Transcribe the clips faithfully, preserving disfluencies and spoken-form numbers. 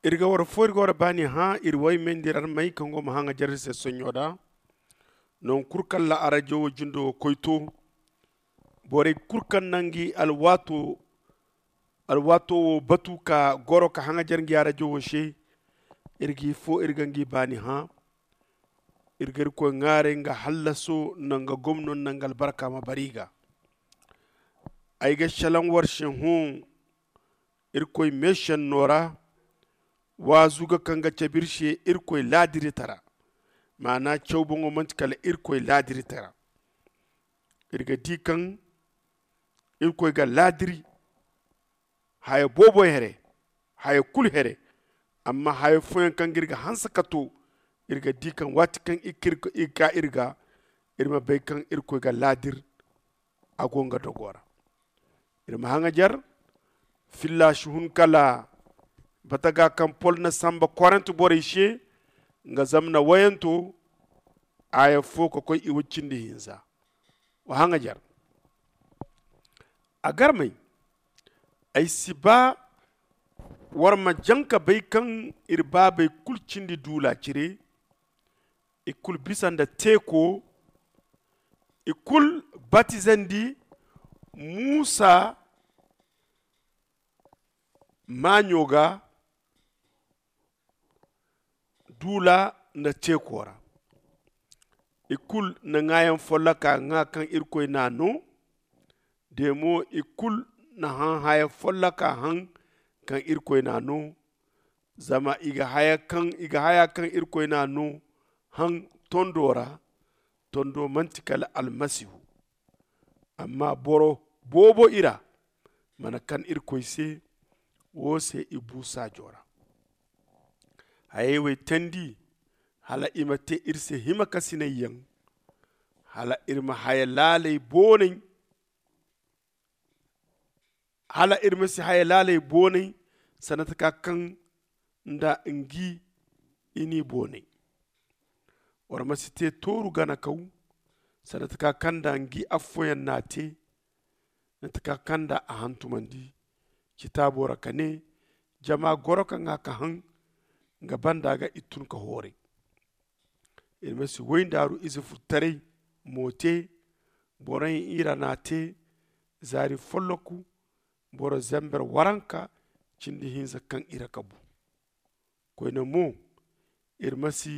Iri ga war fo iri ga war baani hã iri way meendi iri armey kaŋ go ma hã ga jare iri se soɲɲo da. Nangu kulu kaŋ ra arajo wo jindo ga koy to, borey kulu kaŋ na ngi alwaato wo batu ka goro ka hã ga jare ngi arajo wo se. Iri ga i fo iri ga ngi baani hã. Iri ga irkoy ŋwaaray nga hallaso nda nga gomno nda nga albarka ma bara i ga. Ay ga selaŋ war se hõ irkoy meesenno ra. Waazu ga kaŋ ga cabe iri se irkoy laadiritara. Maana caw boŋo manti kala irkoy laadiritara. Iri ga di kaŋ irkoy ga laadiri haya boobo here, haya kulu here. Amma haya fooyaŋ kaŋ ga iri ga hanse ka to, iri ga di kaŋ waati kaŋ iri ga iri ga iri ma bay kaŋ irkoy ga laadir a go nga dogo ra. Iri ma haŋajer filla si hun kala bataga kaŋ pol na samba korent borey se nga zamna wayanto. Aya fo ka koy i wa cindi hinza. Wa haŋajer a garmey. Ay si ba war ma jaŋ ka bay kaŋ iri baabey kulu cindi duula cire. I kulu bisa nda teeko. I kulu batizandi muusa maaɲo ga duula nda teeko ra. I kulu na ŋaayaŋ folloka ŋaa kaŋ irkoy n'a no. De mo i kulu na hã haya folloka haŋ kaŋ irkoy n'a no. Zama i ga haya kaŋ irkoy n'a no haŋ tondo ra. Tondo manti kala almasihu. Amma boro boobo i ra mana kan irkoy se. Wo se i bu saajo ra. Hayey wey teendi hala i ma te iri se hima kasinayyaŋ. Hala iri ma haya laaley boonay hala iri ma si haya laaley boonay. Sanda taka kaŋ nda ngi i n'i boonay. War ma si te tooru gana kaw sanda taka kaŋ nda ngi affooyaŋ n'a te. Nda taka kaŋ nda a hantumandi citaabo ra ka ne jama goro ka ŋaa ka haŋ nga banda ga i tun ka hooray. Iri ma si woy ndaaru ize furtaray mo te. Boroyaŋ ira n'a te zaari folloku boro zember waranka cindi hinza kaŋ ira ka bu. Koyne mo iri ma si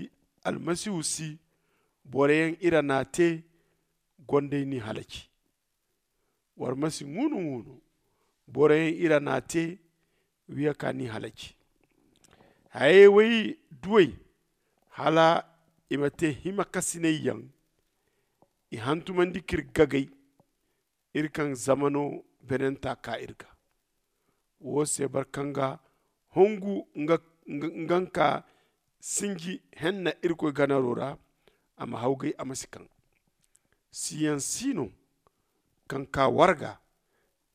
almasihu si boroyaŋ ira n'a te. Gondey n'i halaci. War ma si ŋuunu ŋuunu boroyaŋ ira n'a te. Wiya ka n'i halaci. Hayey way duwey hala i ma te hima kasinayyaŋ. I hantumandi k'iri gagay iri kaŋ zamano benenta ka iri ga. Wo se boro kaŋ ga hongu nga nka sinji henna irkoy ganaro ra a ma hawgay a ma si kaŋ. Siyaŋ si no kaŋ ka warga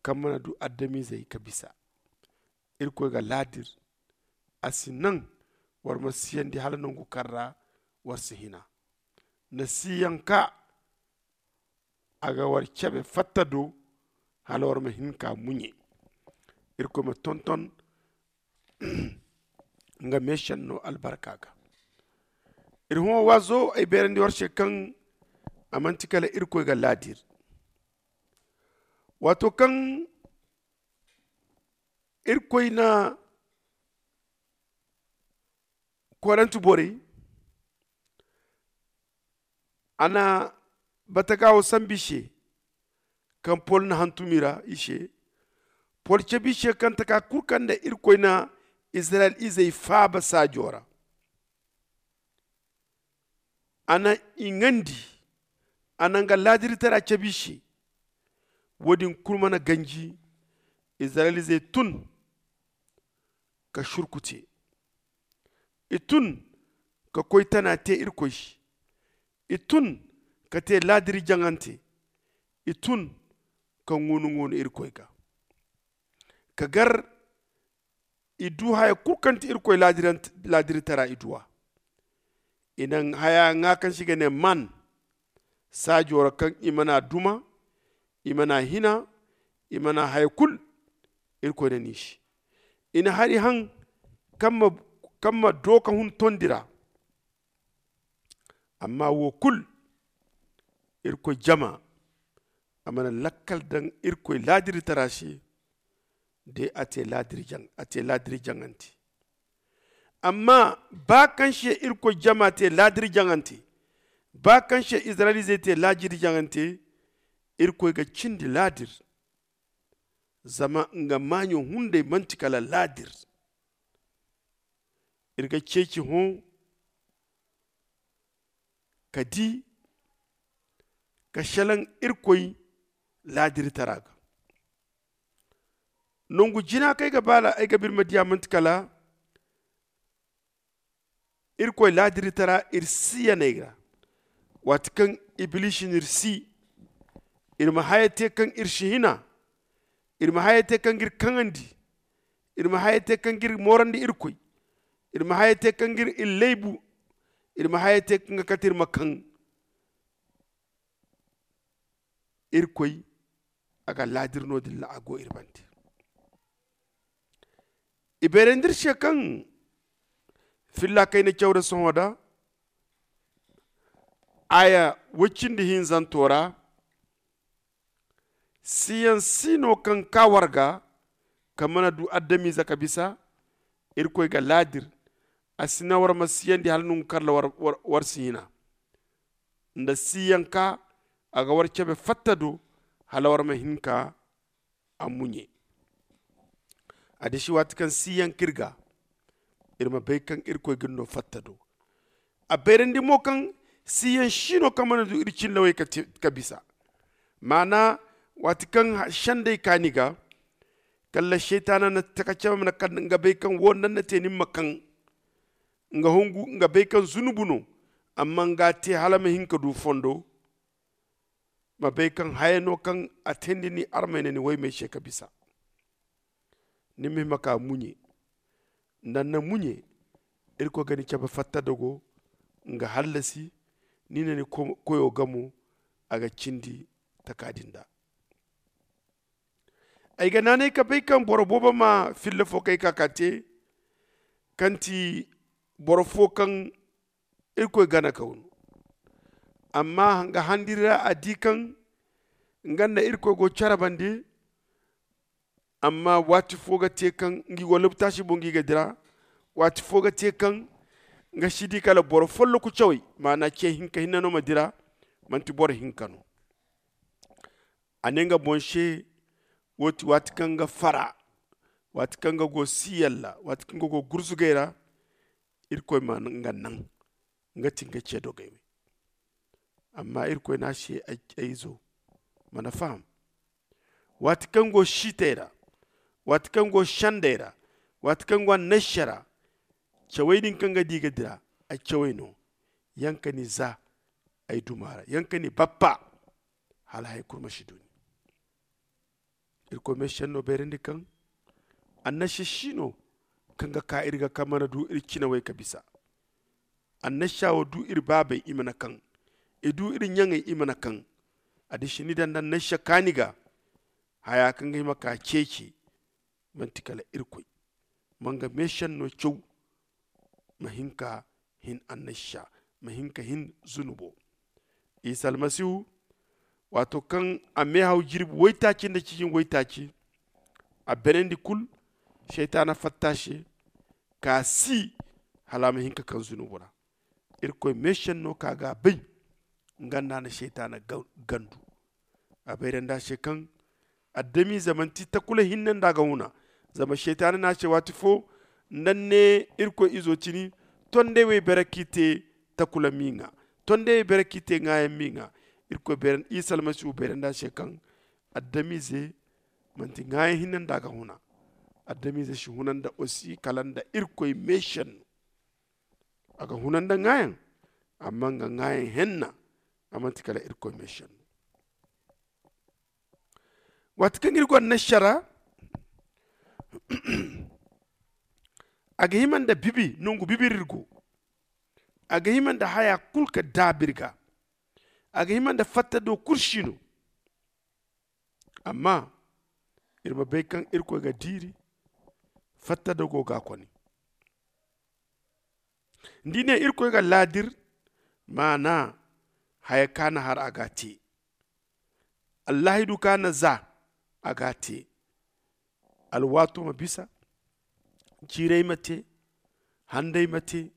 kaŋ mana du adamizey ka bisa. Irkoy ga laadir a si naŋ war ma siyandi hala nangu kaŋ ra war si hina. Na siyaŋ ka a ga war cabe fatta do hala war ma hin ka muɲe. Irkoy ma tonton nga meesenno albarka ga. Iri hõ waazo ay beerandi war se kaŋ a manti kala irkoy ga laadir. Waato kaŋ irkoy na korent borey a na bataga wo sambu i se. Kaŋ pol na hantum i ra i se. Pol cabe i se kaŋ taka kulu kaŋ nda irkoy na izirayel izey faaba saajo ra. A na i ŋandi. A na nga laadiritara cabe i se. Wo- din kulu mana ganji. Izirayel izey tun ka surku te. I tun ka koy tana te irkoy se. I tun ka te laadiri jaŋante. I tun ka ŋuunu ŋuunu irkoy ga ka gar. I du haya kulu kaŋ ti irkoy laadiritara i du a. I na haya ŋwa kaŋ se i ga ne man saajo ra kaŋ i mana duma, i mana hina, i mana haya kulu. Irkoy na ni se i na hari haŋ. Kaŋ ma dooka hun tondi ra. Amma wo kulu irkoy jama a mana lakkal daŋ irkoy laadirtara se. De a te laadiri jaŋante. Amma ba kaŋ se irkoy jama te laadiri jaŋante, ba kaŋ se izirayel izey te laadiri jaŋante, irkoy ga cindi laadir. Zama nga maaɲo hunday manti kala laadir. Iri ga ceeci hõ ka di ka selaŋ irkoy laadiritara ga. Nangu jina kaŋ ay ga baala ay ga ba iri ma diya manti kala irkoy laadiritara iri siyaney ra. Waati kaŋ ibilisi n'iri si, iri ma haya te kaŋ iri si hina. Iri ma haya te kaŋ ga iri kaŋandi. Iri ma haya te kaŋ ga iri moorandi irkoy. Iri ma haya te kaŋ ga iri iri laybu. Iri ma haya te kaŋ ga kate iri ma kaŋ. Irkoy a ga laadir no-din ra a go iri bande. I beerandi iri se kaŋ filla kayna cawra sohõ da aya woy cindi hinzanto ra. Siyaŋ si no kaŋ ka war ga ka mana du adamize ka bisa. Irkoy ga laadir a si naŋ war ma siyandi hala nangu kaŋ ra war si hina. Nda siyaŋ ka a ga war cabe fatta do hala war ma hin ka a muɲe. A disi waati kaŋ siyaŋ ka iri ga iri ma bay kaŋ irkoy ga iri no fatta do. A bayrandi mo kaŋ siyaŋ si no kaŋ mana du iri cillawey ka bisa. Maana waati kaŋ sendey ka ni ga kala seytaana na taka cabe mana kala nga bay kaŋ wo nda ni na te ni ma kaŋ. Nga hungu nga bay kaŋ zunubu no. Amma nga te hala ma hin ka du fondo ma bay kaŋ haya no kaŋ a teendi ni armay na ni waymey se ka bisa. Ni ma hima ka muɲe nda ni na muɲe irkoy ga ni cabe fatta dogo nga hallasi. Ni na ni koyo gamo a ga cindi taka din da. Ay ga naanay ka bay kaŋ boro boobo ma filla fo kay ka ka te kaŋ ti boro fo kaŋ irkoy gana kaw no. Amma nga handiri ra a di kaŋ nga nda irkoy go care bande. Amma waati fo ga te kaŋ ngi go lobtaasi boŋ ngi ga dira. Waati fo ga te kaŋ nga si di kala boro folloku cawey maana ce hinka hinne no ma dira. Manti boro hinka no. A ne nga boŋ se wo ti waati kaŋ nga fara waati kaŋ nga go siyalla waati kaŋ nga go gurzugay ra. Irkoy ma nga naŋ nga ti nga ce dogey we. Amma irkoy ne a se ay izo mana faham waati kaŋ go siitey ra waati kaŋ go sendey ra waati kaŋ go annasara cawey din kaŋ ga di ga dira ay cawey no. Yaŋ ka ni za ay duma ra yaŋ ka ni bappa hala hari kulu ma si du ni. Irkoy meesenno bayrandi kaŋ annasha si no kaŋ ga ka iri ga kaŋ mana du iri cinawey ka bisa. Annasha wo du iri baabey i mana kaŋ i du iri ɲaŋey i mana kaŋ. A disi ni daŋ nda annasha kaani ga haya kaŋ ga hima ka ceeci manti kala irkoy ma nga meesenno caw. Ma hin ka hin annasha ma hin ka hin zunubo. Isa almasihu waato kaŋ a meehaw jirbi waytaaci nda cijin waytaaci a benandi kulu. Seytaana fatta se ka si hala a ma hin ka kaŋ zunubu ra. Irkoy meesenno ka ga a bay nga nda a na seytaana gandu. A bayrandi a se kaŋ adamize manti takula hinne nda a ga huna. Zama seytaana ne a se waati fo nda ni ne irkoy izo cini tondey wo ay bare ka i te takula miiŋa. Tondey wo ay bare ka i te ŋaayaŋ miiŋa. Irkoy isa almasihu bayrandi a se kaŋ adamize manti ŋaayaŋ hinne nda a ga huna. Adamize si huna nda osi kala nda irkoy meesenno. A ga huna nda ŋaayaŋ amma nga ŋaayaŋ henna a manti kala irkoy meesenno. Waati kaŋ iri go annasara a ga hima nda bibi nangu bibi ra iri go. A ga hima nda haya kulu ka daabu iri ga. A ga hima nda fatta do kulu si no. Amma iri ma bay kaŋ irkoy ga diiri fatta do go ga a kone. Ni di ne irkoy ga laadir maana haya ka na har a ga a te. Allaahidu ka na za a ga a te. Alwaato ma bisa, jiirey ma te, handay ma te,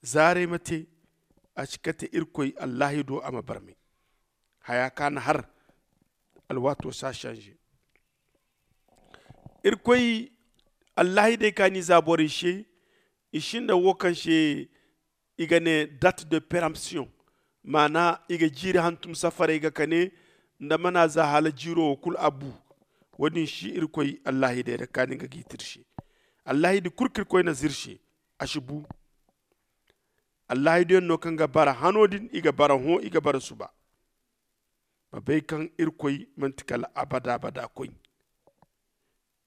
zaaray ma te. A si kate irkoy allaahido a ma barmay. Haya ka na har alwaato si a sanze. Irkoy allaahidey ka ni za borey se. I sinda wo kaŋ se i ga ne date de péremption. Maana i ga jiiri hantum safaray ga kane nda mana za hala jiiro wo kulu a bu. Wo- din si irkoy allaahidey ra kaani ga giitir se. Allaahidi kulu kaŋ irkoy na zirse a si bu. Allaahidiyaŋ no kaŋ ga bara hano din i ga bara hõ i ga bara suba. Ma bay kaŋ irkoy manti kala abada abada koy.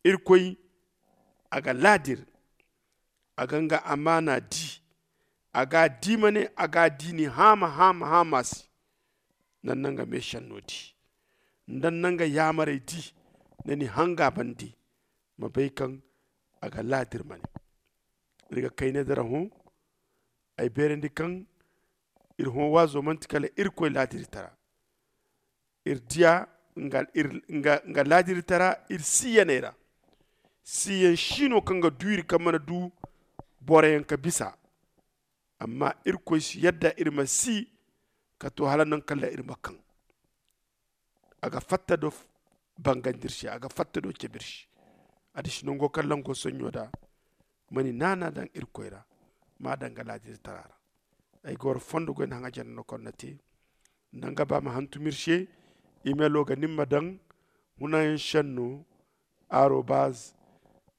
Irkoy a ga laadir. A ga nga amaana di. A ga a di ma ne a ga a di ni haama haama haama se. Nda ni na nga meesenno di, nda ni na nga yaamarey di, nda ni hanga bande. Ma bay kaŋ a ga laadir ma ne. Iri ga kayna dira hõ. Ay beerandi kaŋ iri hõ waazo manti kala irkoy laadiritara. Iri diya nga laadiritara iri siiyaney ra. Siiyaŋ si no kaŋ ga du iri kaŋ mana du boroyaŋ ka bisa. Amma irkoy si yadda iri ma sii ka to hala nangu kaŋ ra iri ma kaŋ. A ga fatta do bangandi iri se, a ga fatta do cabe iri se. A disi nango kaŋ lango soɲɲo da. Ma ni naana daŋ irkoy ra, ma a daŋ ga laadiritara ra. Ay ga war fondo goy na haŋa janda no kaŋ na te. Nda nga ba ma hantum iri se. Imelo ga nin ma daŋ hunayaŋ senno arobaz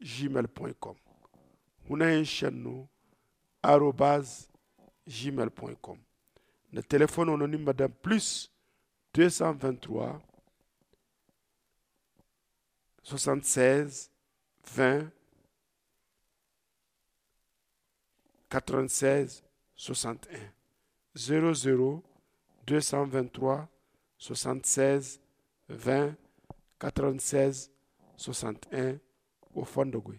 gmail point com. Hunayaŋ senno arobaz gmail point com. Nda telefono no nin ma daŋ plus deux cent vingt trois soixante seize vingt quatre vingt seize soixante un. Zéro zéro deux cent vingt trois soixante seize vingt quatre vingt seize soixante un. Wo fondo goy.